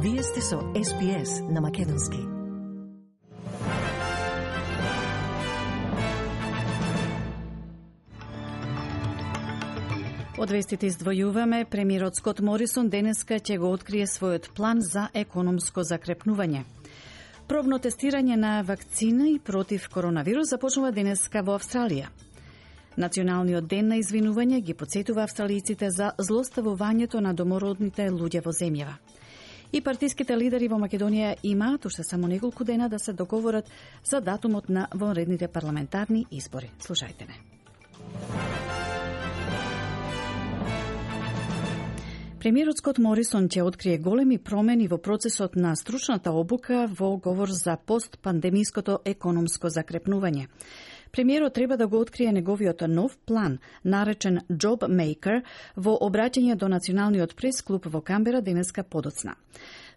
Вие сте со SPS на Македонски. Од вестите издвојуваме, премиерот Скот Морисон денеска ќе го открие својот план за економско закрепнување. Пробно тестирање на вакцина против коронавирус започнува денеска во Австралија. Националниот ден на извинување ги потсетува австралијците за злоставувањето на домородните луѓе во земјава. И партиските лидери во Македонија имаат уште само неколку дена да се договорат за датумот на вонредните парламентарни избори. Слушајте не. Премиерот Скот Морисон ќе открие големи промени во процесот на стручната обука во говор за постпандемиското економско закрепнување. Премиерот треба да го открие неговиот нов план, наречен Job Maker, во обраќање до Националниот прес-клуб во Камбера денеска подоцна.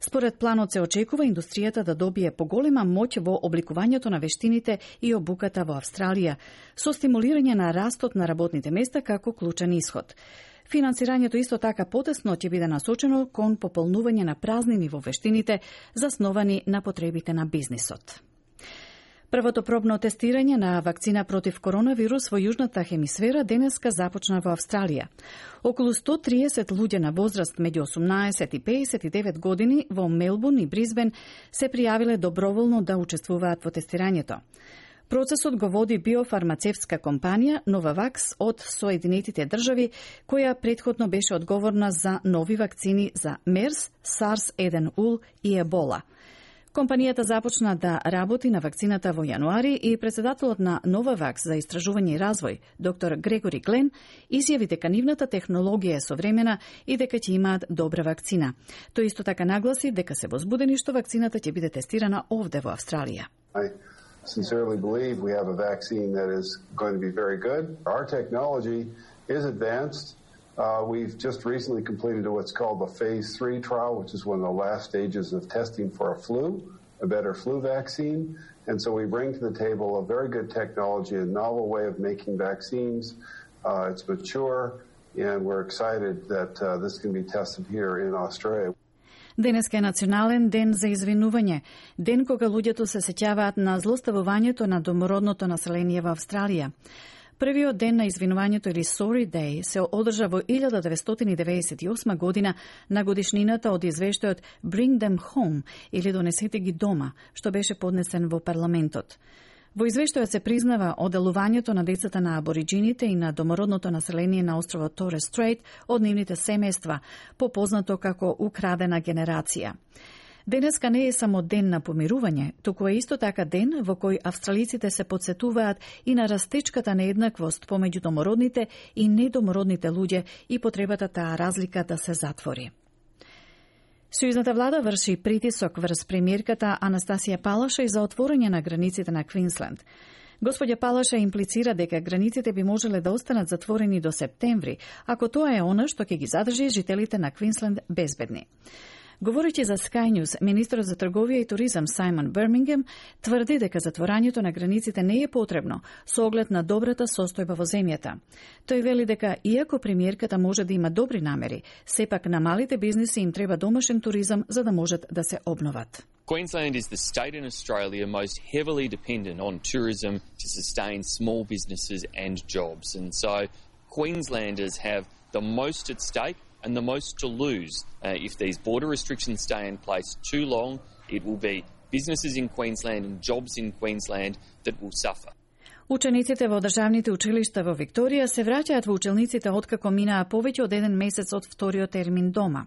Според планот се очекува индустријата да добие поголема моќ во обликувањето на вештините и обуката во Австралија, со стимулирање на растот на работните места како клучен исход. Финансирањето исто така потесно ќе биде насочено кон пополнување на празнини во вештините, засновани на потребите на бизнисот. Првото пробно тестирање на вакцина против коронавирус во јужната хемисфера денеска започна во Австралија. Околу 130 луѓе на возраст меѓу 18 и 59 години во Мелбурн и Бризбен се пријавиле доброволно да учествуваат во тестирањето. Процесот го води биофармацевтска компанија Novavax од Соединетите држави, која претходно беше одговорна за нови вакцини за MERS, SARS-1 и Ебола. Компанијата започна да работи на вакцината во јануари и председателот на Novavax за истражување и развој, доктор Грегори Глен, изјави дека нивната технологија е современа и дека ќе имаат добра вакцина. Тој исто така нагласи дека се возбудени што вакцината ќе биде тестирана овде во Австралија. I sincerely believe we have a vaccine that is going to be very good. Our technology is advanced. We've just recently completed what's called the Phase 3 trial, which is one of the last stages of testing for a better flu vaccine. And so we bring to the table a very good technology, a novel way of making vaccines. It's mature, and we're excited that this can be tested here in Australia. Денеска е национален ден за извинување, ден кога луѓето се сеќаваат на злоставувањето на домородното население во Австралија. Првиот ден на извинувањето или Sorry Day се одржа во 1998 година на годишнината од извештајот Bring Them Home или Донесете ги дома, што беше поднесен во парламентот. Во извештајот се признава оделувањето на децата на абориджините и на домородното население на островот Торес Стрейт од нивните семејства, попознато како украдена генерација. Денеска не е само ден на помирување, туку е исто така ден во кој австралиците се потсетуваат и на растечката нееднаквост помеѓу домородните и недомородните луѓе и потребата таа разлика да се затвори. Сојузната влада врши притисок врз премиерката Анастасија Палаша и за отворање на границите на Квинсленд. Господја Палаша имплицира дека границите би можеле да останат затворени до септември, ако тоа е она што ќе ги задржи жителите на Квинсленд безбедни. Говорејќи за Sky News, министерот за трговија и туризам Сајмон Бермингем тврди дека затворањето на границите не е потребно со оглед на добрата состојба во земјата. Тој вели дека иако премиерката може да има добри намери, сепак на малите бизниси им треба домашен туризам за да можат да се обноват. Queensland is the state in Australia most heavily dependent on tourism to sustain small businesses and jobs. And so Queenslanders have the most at stake and the most to lose. If these border restrictions stay in place too long, it will be businesses in Queensland and jobs in Queensland that will suffer. Учениците во државните училишта во Викторија се враќаат во училниците откако минаа повеќе од 1 месец од вториот термин дома.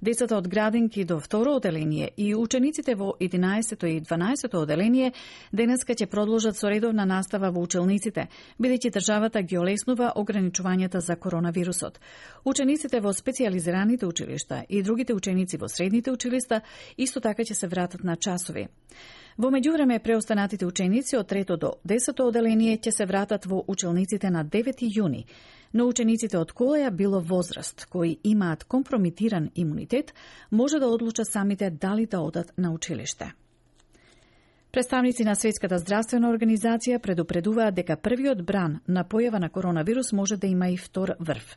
Децата од градинки до второ оделение и учениците во 11 и 12 оделение денеска ќе продолжат со редовна настава во училниците, бидејќи државата ги олеснува ограничувањата за коронавирусот. Учениците во специјализираните училишта и другите ученици во средните училишта исто така ќе се вратат на часови. Во меѓувреме, преостанатите ученици од 3 до 10 оделение ќе се вратат во училниците на 9 јуни, но учениците од колеја било возраст, кои имаат компромитиран имунитет, може да одлучат самите дали да одат на училиште. Представници на Светската здравствена организација предупредуваат дека првиот бран на појава на коронавирус може да има и втор врв.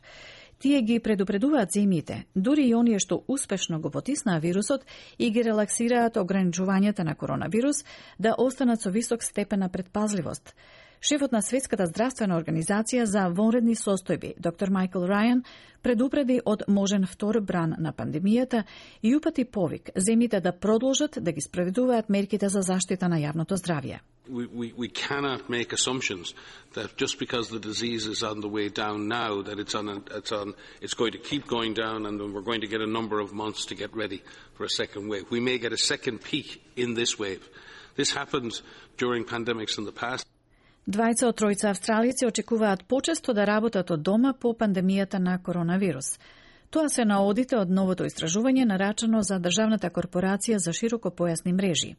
Тие ги предупредуваат земјите, дури и оние што успешно го потиснаа вирусот и ги релаксираат ограничувањата на коронавирус, да останат со висок степен на предпазливост. Шефот на Светската здравствена организација за вонредни состојби, доктор Майкл Рајан, предупреди од можен втор бран на пандемијата и упати повик земјите да продолжат да ги спроведуваат мерките за заштита на јавното здравје. We cannot make assumptions that just because the disease is on the way down now, that it's going to keep going down, and then we're going to get a number of months to get ready for a second wave. We may get a second peak in this wave. This happened during pandemics in the past. Двајца од тројца австралици очекуваат почесто да работат од дома по пандемијата на коронавирус. Тоа се наодите од новото истражување нарачано за Државната корпорација за широкопојасни мрежи.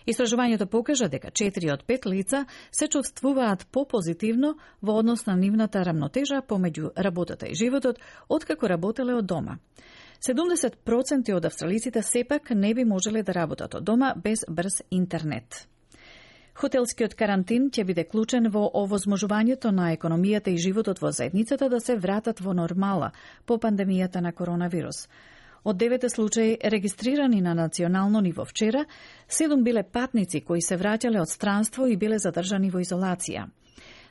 Истражувањето покажа дека 4 од 5 лица се чувствуваат попозитивно во однос на нивната рамнотежа помеѓу работата и животот, откако работеле од дома. 70% од австралиците сепак не би можеле да работат од дома без брз интернет. Хотелскиот карантин ќе биде клучен во овозможувањето на економијата и животот во заедницата да се вратат во нормала по пандемијата на коронавирус. Од 9 случаи регистрирани на национално ниво вчера, 7 биле патници кои се враќале од странство и биле задржани во изолација.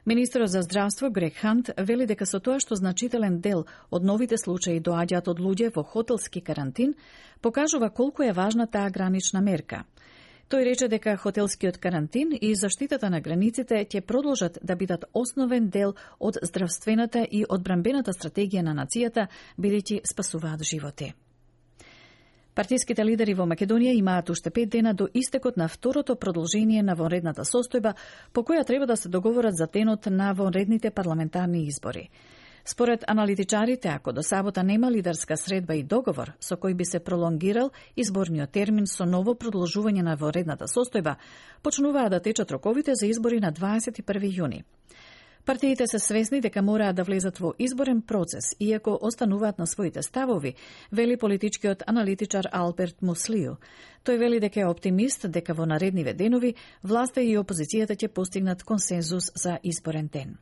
Министерот за здравство Грег Хант вели дека со тоа што значителен дел од новите случаи доаѓаат од луѓе во хотелски карантин, покажува колку е важна таа гранична мерка. Тој рече дека хотелскиот карантин и заштитата на границите ќе продолжат да бидат основен дел од здравствената и одбранбената стратегија на нацијата, бидејќи спасуваат животи. Партиските лидери во Македонија имаат уште 5 дена до истекот на второто продолжение на вонредната состојба, по која треба да се договорат за денот на вонредните парламентарни избори. Според аналитичарите, ако до сабота нема лидерска средба и договор со кој би се пролонгирал изборниот термин со ново продолжување на вонредната состојба, почнуваат да течат роковите за избори на 21 јуни. Партиите се свесни дека мораат да влезат во изборен процес, иако остануваат на своите ставови, вели политичкиот аналитичар Алберт Муслију. Тој вели дека е оптимист дека во наредниве денови власта и опозицијата ќе постигнат консензус за изборен ден.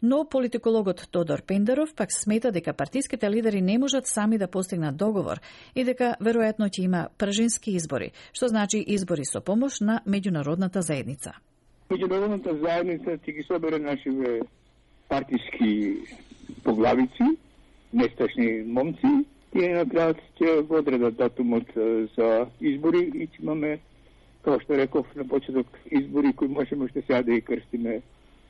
Но политикологот Тодор Пендеров пак смета дека партиските лидери не можат сами да постигнат договор и дека веројатно ќе има пржински избори, што значи избори со помош на меѓународната заедница. Меѓународната заедница ќе ги собере нашиве партиски поглавици, нестачни момци, и на крајот ќе го одредат датумот за избори и ќе имаме, како што реков на почеток, избори кои можеме уште сега да ги крстиме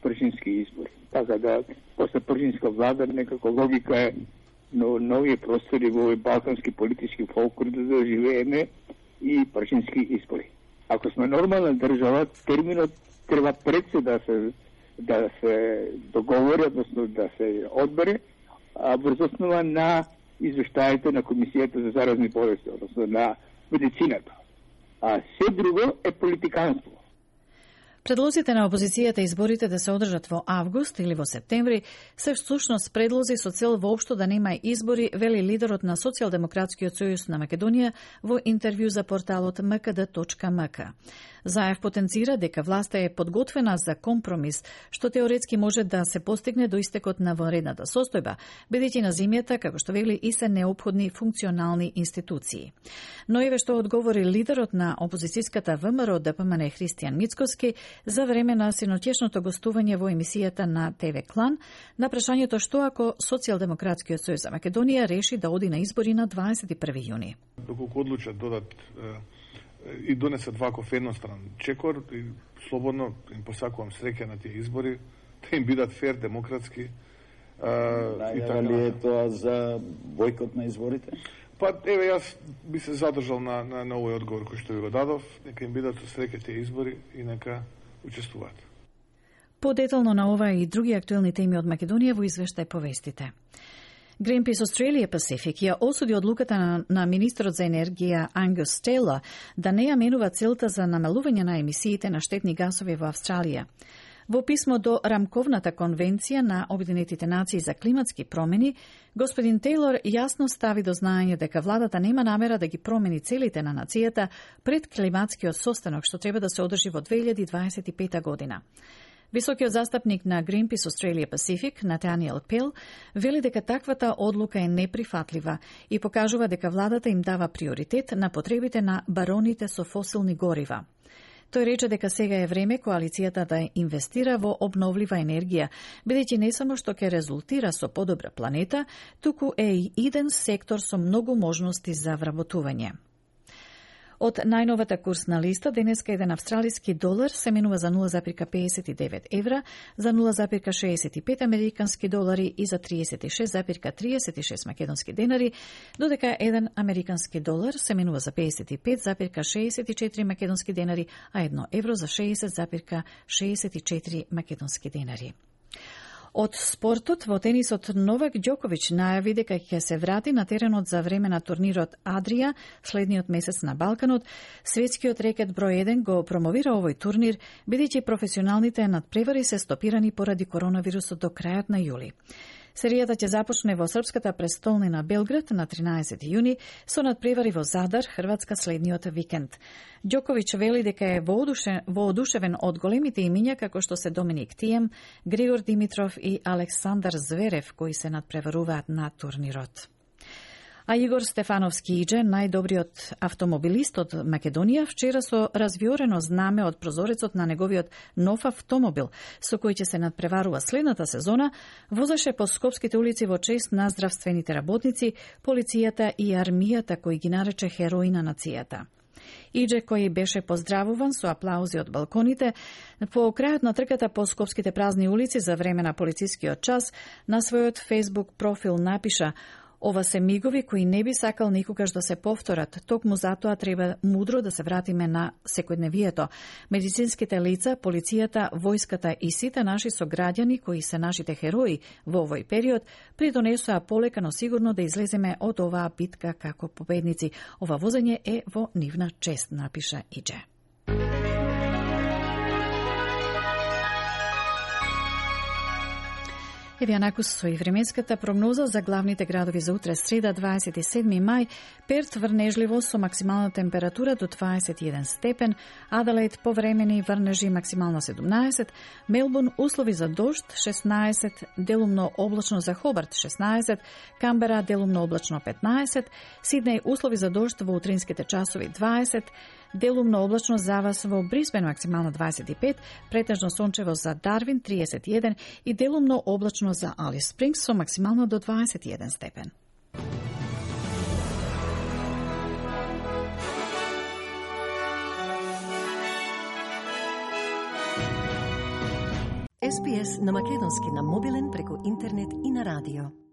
пржински избори. Така да, после пржинска влада, некако логика е но нови простори во овој балкански политички фолклор да живееме и пржински избори. Ако сме нормална држава, терминот треба пред се да се договори, односно да се одбере, врз основа на извештаите на Комисијата за заразни болести, односно на медицината. А се друго е политиканство. Предлозите на опозицијата изборите да се одржат во август или во септември се всушност предлози со цел воопшто да нема избори, вели лидерот на Социјалдемократскиот сојуз на Македонија во интервју за порталот mkd.mk. Заев потенцира дека власта е подготвена за компромис, што теоретски може да се постигне до истекот на вонредната состојба, бидејќи на земјата, како што вели, и се неопходни функционални институции. Но еве што одговори лидерот на опозицијската ВМРО ДПМН Христијан Мицкоски за време на синоќешното гостување во емисијата на ТВ Клан на прашањето што ако Социјалдемократскиот сојуз за Македонија реши да оди на избори на 21 јуни. Доколку одлучат додат и донесат ваков едностран чекор, и слободно им посакувам среќа на тие избори, да им бидат фер, демократски. Најава ли е тоа за бојкот на изборите? Па, еве, јас би се задржал на овој одговор кој што ви го дадов, нека им бидат со среќа тие избори и нека учествуваат. Подетално на ова и други актуелни теми од Македонија во извештај повестите. Greenpeace Australia Pacific ја осуди одлуката на министерот за енергија Ангус Тейлор да не ја менува целта за намалување на емисиите на штетни гасови во Австралија. Во писмо до Рамковната конвенција на Обединетите нации за климатски промени, господин Тейлор јасно стави до знаење дека владата нема намера да ги промени целите на нацијата пред климатскиот состанок што треба да се одржи во 2025 година. Високиот застапник на Greenpeace Australia Pacific, Натаниел Пел, вели дека таквата одлука е неприфатлива и покажува дека владата им дава приоритет на потребите на бароните со фосилни горива. Тој рече дека сега е време коалицијата да инвестира во обновлива енергија, бидејќи не само што ќе резултира со подобра планета, туку е и иден сектор со многу можности за вработување. Од најновата курсна листа, денеска еден австралиски долар се менува за 0,59 евра, за 0,65 американски долари и за 36,36 македонски денари, додека еден американски долар се менува за 55,64 македонски денари, а 1 евро за 60,64 македонски денари. Од спортот, во тенисот Новак Ѓоковиќ најави дека ќе се врати на теренот за време на турнирот Адрија следниот месец на Балканот. Светскиот рекет број 1 го промовира овој турнир, бидејќи професионалните надпревари се стопирани поради коронавирусот до крајот на јули. Серијата ќе започне во српската престолнина Белград на 13 јуни со надпревари во Задар, Хрватска следниот викенд. Ѓоковиќ вели дека е воодушевен од големите имиња како што се Доминик Тием, Григор Димитров и Александар Зверев кои се надпреваруваат на турнирот. А Игор Стефановски Иџе, најдобриот автомобилист од Македонија, вчера со развиорено знаме од прозорецот на неговиот нов автомобил, со кој ќе се надпреварува следната сезона, возеше по скопските улици во чест на здравствените работници, полицијата и армијата кои ги нарече херои на нацијата. Иџе, кој беше поздравуван со аплаузи од балконите, по крајот на трката по скопските празни улици за време на полицискиот час, на својот Facebook профил напиша: "Ова се мигови кои не би сакал никогаш да се повторат, токму затоа треба мудро да се вратиме на секојдневието. Медицинските лица, полицијата, војската и сите наши сограѓани кои се нашите херои во овој период придонесоа полека, но сигурно да излеземе од оваа битка како победници. Ова возење е во нивна чест", напиша Иџе. Еве Јанакус со и временската прогноза за главните градови за утре среда 27 мај. Перт врнежливо со максимална температура до 21 степен, Аделаид повремени врнежи максимална 17, Мелбурн услови за дожд 16, делумно облачно за Хобарт 16, Камбера делумно облачно 15, Сиднеј услови за дожд во утринските часови 20, делумно облачно за вас во Брисбен максимално 25, претежно сончево за Дарвин 31 и делумно облачно за Алис Спрингс со максимално до 21 степен. SPS на македонски на мобилен преку интернет и на радио.